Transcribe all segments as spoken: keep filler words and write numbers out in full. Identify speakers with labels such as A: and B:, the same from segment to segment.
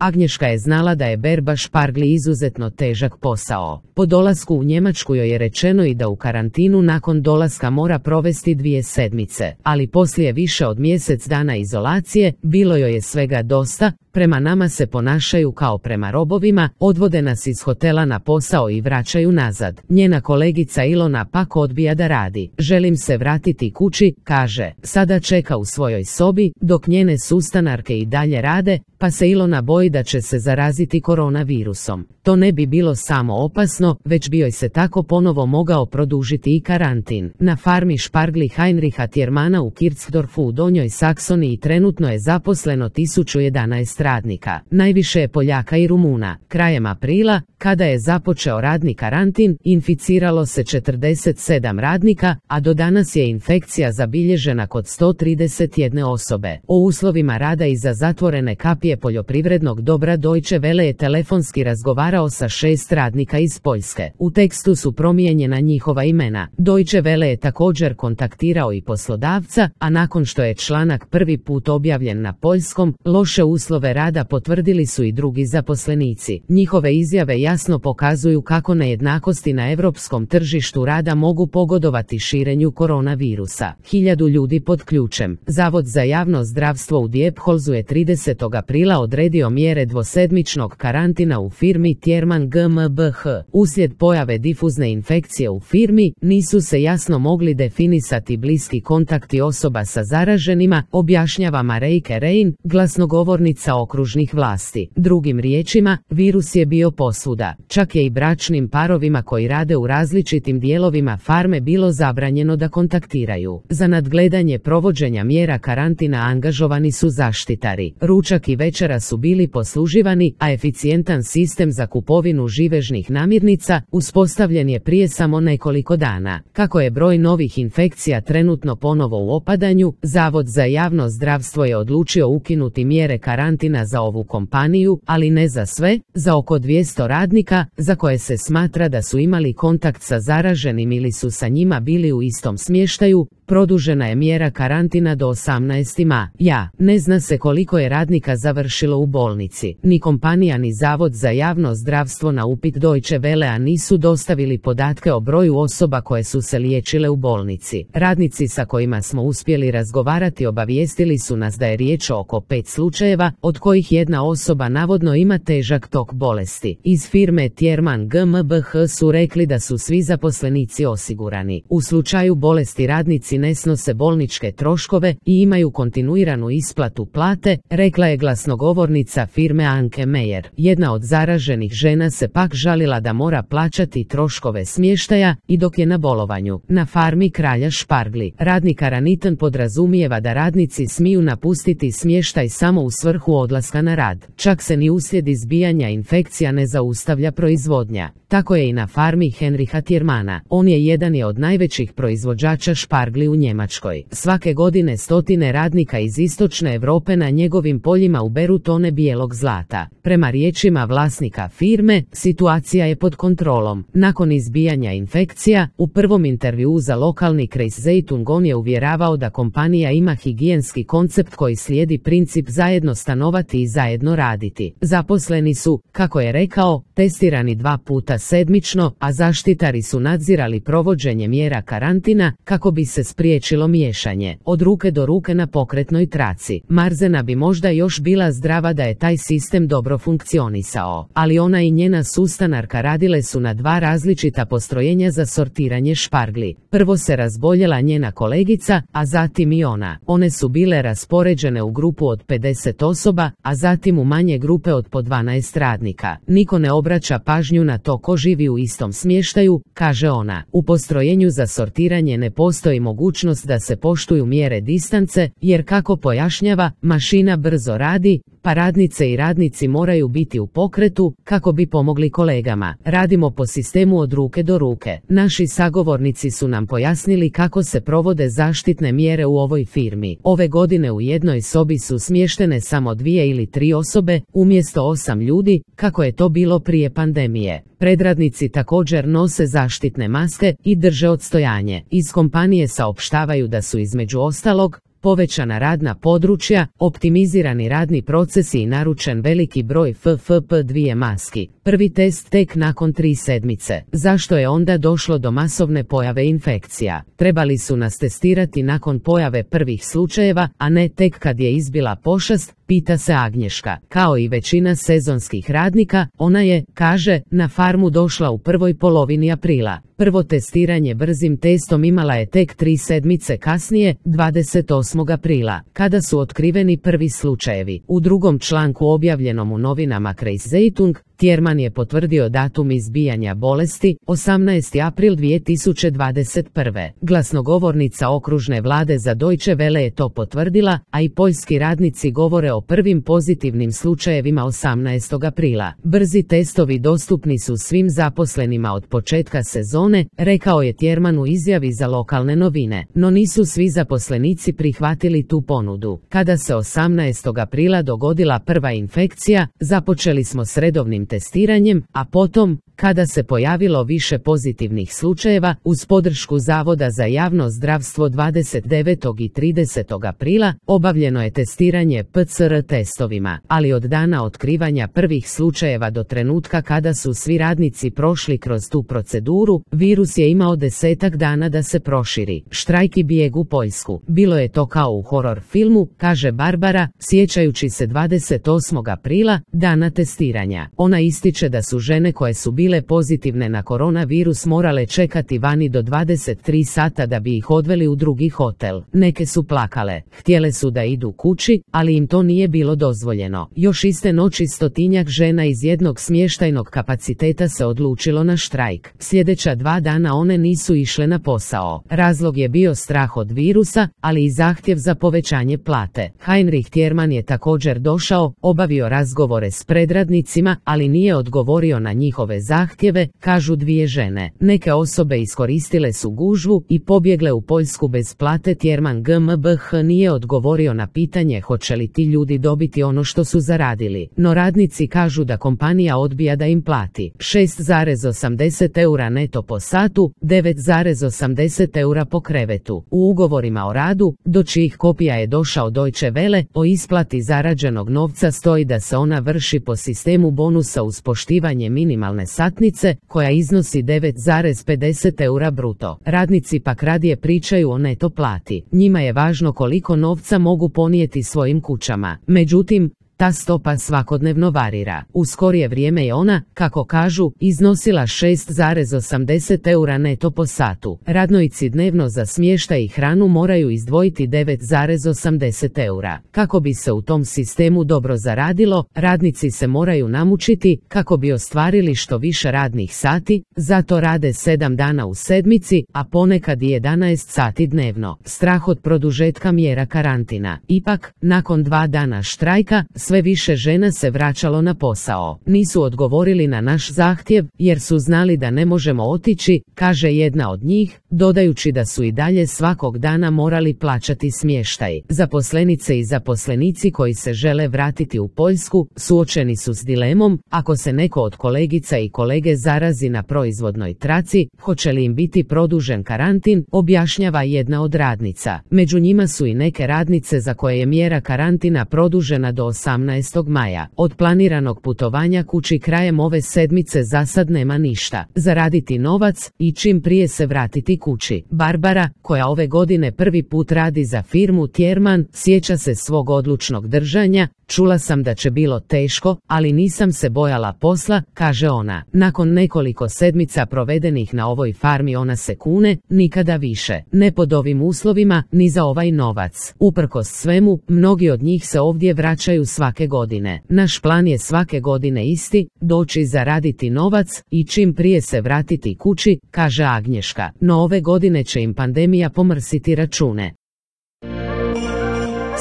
A: Agnješka je znala da je berba špargli izuzetno težak posao. Po dolasku u Njemačku joj je rečeno i da u karantinu nakon dolaska mora provesti dvije sedmice, ali poslije više od mjesec dana izolacije bilo joj je svega dosta. Prema nama se ponašaju kao prema robovima, odvode nas iz hotela na posao i vraćaju nazad. Njena kolegica Ilona pak odbija da radi. Želim se vratiti kući, kaže. Sada čeka u svojoj sobi, dok njene sustanarke i dalje rade, pa se Ilona boji da će se zaraziti koronavirusom. To ne bi bilo samo opasno, već bi joj se tako ponovo mogao produžiti i karantin. Na farmi špargli Heinricha Tiermana u Kirchdorfu u Donjoj Saksoniji trenutno je zaposleno tisuću jedanaest radnika. Najviše je Poljaka i Rumuna. Krajem aprila, kada je započeo radni karantin, inficiralo se četrdeset sedam radnika, a do danas je infekcija zabilježena kod sto trideset jedne osobe. O uslovima rada iza zatvorene kapije poljoprivrednog dobra Deutsche Welle je telefonski razgovarao sa šest radnika iz Poljske. U tekstu su promijenjena njihova imena. Deutsche Welle je također kontaktirao i poslodavca, a nakon što je članak prvi put objavljen na poljskom, loše uslove rada potvrdili su i drugi zaposlenici. Njihove izjave jasno pokazuju kako nejednakosti na europskom tržištu rada mogu pogodovati širenju koronavirusa. Hiljadu ljudi pod ključem. Zavod za javno zdravstvo u Diepholzu je tridesetog aprila odredio mjere dvosedmičnog karantina u firmi Tierman GmbH. Uslijed pojave difuzne infekcije u firmi, nisu se jasno mogli definisati bliski kontakti osoba sa zaraženima, objašnjava Mareike Rein, glasnogovornica okružnih vlasti. Drugim riječima, virus je bio posvuda. Čak je i bračnim parovima koji rade u različitim dijelovima farme bilo zabranjeno da kontaktiraju. Za nadgledanje provođenja mjera karantina angažovani su zaštitari. Ručak i večera su bili posluživani, a eficijentan sistem za kupovinu živežnih namirnica uspostavljen je prije samo nekoliko dana. Kako je broj novih infekcija trenutno ponovo u opadanju, Zavod za javno zdravstvo je odlučio ukinuti mjere karantina za ovu kompaniju, ali ne za sve, za oko dvjesto radnika, za koje se smatra da su imali kontakt sa zaraženim ili su sa njima bili u istom smještaju. Produžena je mjera karantina do osamnaestog maja. Ne zna se koliko je radnika završilo u bolnici. Ni kompanija ni Zavod za javno zdravstvo na upit Deutsche Wellea nisu dostavili podatke o broju osoba koje su se liječile u bolnici. Radnici sa kojima smo uspjeli razgovarati obavijestili su nas da je riječ o oko pet slučajeva, od kojih jedna osoba navodno ima težak tok bolesti. Iz firme Tierman GmbH su rekli da su svi zaposlenici osigurani. U slučaju bolesti radnici ne snose bolničke troškove i imaju kontinuiranu isplatu plate, rekla je glasnogovornica firme Anke Meyer. Jedna od zaraženih žena se pak žalila da mora plaćati troškove smještaja i dok je na bolovanju. Na farmi Kralja špargli, radni karantin podrazumijeva da radnici smiju napustiti smještaj samo u svrhu odlaska na rad. Čak se ni uslijed izbijanja infekcija ne zaustavlja proizvodnja. Tako je i na farmi Heinricha Tiermana. On je jedan je od najvećih proizvođača špargli u Njemačkoj. Svake godine stotine radnika iz istočne Europe na njegovim poljima uberu tone bijelog zlata. Prema riječima vlasnika firme, situacija je pod kontrolom. Nakon izbijanja infekcija, u prvom intervjuu za lokalni Kreis Zeitung on je uvjeravao da kompanija ima higijenski koncept koji slijedi princip zajedno stanovati i zajedno raditi. Zaposleni su, kako je rekao, testirani dva puta sedmično, a zaštitari su nadzirali provođenje mjera karantina kako bi se spriječilo miješanje. Od ruke do ruke na pokretnoj traci. Marzena bi možda još bila zdrava da je taj sistem dobro funkcionisao, ali ona i njena sustanarka radile su na dva različita postrojenja za sortiranje špargli. Prvo se razboljela njena kolegica, a zatim i ona. One su bile raspoređene u grupu od pedeset osoba, a zatim u manje grupe od po dvanaest radnika. Niko ne obraća pažnju na to ko živi u istom smještaju, kaže ona. U postrojenju za sortiranje ne postoji mogućnost da se poštuju mjere distance, jer kako pojašnjava, mašina brzo radi, pa radnice i radnici moraju biti u pokretu kako bi pomogli kolegama. Radimo po sistemu od ruke do ruke. Naši sagovornici su nam pojasnili kako se provode zaštitne mjere u ovoj firmi. Ove godine u jednoj sobi su smještene samo dvije ili tri osobe, umjesto osam ljudi, kako je to bilo prije pandemije. Predradnici također nose zaštitne maske i drže odstojanje. Iz kompanije saopštavaju da su između ostalog povećana radna područja, optimizirani radni procesi i naručen veliki broj F F P dva maski. Prvi test tek nakon tri sedmice. Zašto je onda došlo do masovne pojave infekcija? Trebali su nas testirati nakon pojave prvih slučajeva, a ne tek kad je izbila pošast, pita se Agnješka. Kao i većina sezonskih radnika, ona je, kaže, na farmu došla u prvoj polovini aprila. Prvo testiranje brzim testom imala je tek tri sedmice kasnije, dvadeset osmog aprila, kada su otkriveni prvi slučajevi. U drugom članku objavljenom u novinama Kreiszeitung, Tjerman je potvrdio datum izbijanja bolesti, osamnaesti april dvije tisuće dvadeset prve. Glasnogovornica okružne vlade za Deutsche Welle je to potvrdila, a i poljski radnici govore o prvim pozitivnim slučajevima osamnaestog aprila. Brzi testovi dostupni su svim zaposlenima od početka sezone, rekao je Tjerman u izjavi za lokalne novine. No nisu svi zaposlenici prihvatili tu ponudu. Kada se osamnaestog aprila dogodila prva infekcija, započeli smo s redovnim testiranjem, a potom, kada se pojavilo više pozitivnih slučajeva, uz podršku Zavoda za javno zdravstvo dvadeset devetog i tridesetog aprila, obavljeno je testiranje P C R testovima, ali od dana otkrivanja prvih slučajeva do trenutka kada su svi radnici prošli kroz tu proceduru, virus je imao desetak dana da se proširi. Štrajk i bijeg u Poljsku. Bilo je to kao u horor filmu, kaže Barbara, sjećajući se dvadeset osmog aprila, dana testiranja. Ona ističe da su žene koje su bile pozitivne na koronavirus morale čekati vani do dvadeset tri sata da bi ih odveli u drugi hotel. Neke su plakale, htjele su da idu kući, ali im to nije bilo dozvoljeno. Još iste noći stotinjak žena iz jednog smještajnog kapaciteta se odlučilo na štrajk. Sljedeća dva dana one nisu išle na posao. Razlog je bio strah od virusa, ali i zahtjev za povećanje plate. Heinrich Tjerman je također došao, obavio razgovore s predradnicima, ali nije odgovorio na njihove zahtjeve, kažu dvije žene. Neke osobe iskoristile su gužvu i pobjegle u Poljsku bez plate. Tjerman G M B H nije odgovorio na pitanje hoće li ti ljudi dobiti ono što su zaradili, no radnici kažu da kompanija odbija da im plati šest zarez osamdeset eura neto po satu, devet zarez osamdeset eura po krevetu. U ugovorima o radu, do čijih kopija je došao Deutsche Welle, o isplati zarađenog novca stoji da se ona vrši po sistemu bonusa uz poštivanje minimalne satnice, koja iznosi devet zarez pedeset eura bruto. Radnici pak radije pričaju o neto plati. Njima je važno koliko novca mogu ponijeti svojim kućama. Međutim, ta stopa svakodnevno varira. U skorije vrijeme je ona, kako kažu, iznosila šest zarez osamdeset eura neto po satu. Radnici dnevno za smještaj i hranu moraju izdvojiti devet zarez osamdeset eura. Kako bi se u tom sistemu dobro zaradilo, radnici se moraju namučiti kako bi ostvarili što više radnih sati, zato rade sedam dana u sedmici, a ponekad i jedanaest sati dnevno. Strah od produžetka mjera karantina. Ipak, nakon dva dana štrajka, sve više žena se vraćalo na posao. Nisu odgovorili na naš zahtjev, jer su znali da ne možemo otići, kaže jedna od njih, dodajući da su i dalje svakog dana morali plaćati smještaj. Zaposlenice i zaposlenici koji se žele vratiti u Poljsku, suočeni su s dilemom, ako se neko od kolegica i kolege zarazi na proizvodnoj traci, hoće li im biti produžen karantin, objašnjava jedna od radnica. Među njima su i neke radnice za koje je mjera karantina produžena do osamnaestog maja. Od planiranog putovanja kući krajem ove sedmice za sad nema ništa. Zaraditi novac i čim prije se vratiti kući. Barbara, koja ove godine prvi put radi za firmu Tjerman, sjeća se svog odlučnog držanja. Čula sam da će bilo teško, ali nisam se bojala posla, kaže ona. Nakon nekoliko sedmica provedenih na ovoj farmi ona se kune, nikada više. Ne pod ovim uslovima, ni za ovaj novac. Uprkos svemu, mnogi od njih se ovdje vraćaju svake godine. Naš plan je svake godine isti, doći zaraditi novac i čim prije se vratiti kući, kaže Agnješka. No ove godine će im pandemija pomrsiti račune.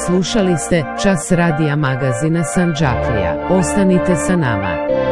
A: Slušali ste Čas radija magazina Sanđaklija. Ostanite sa nama.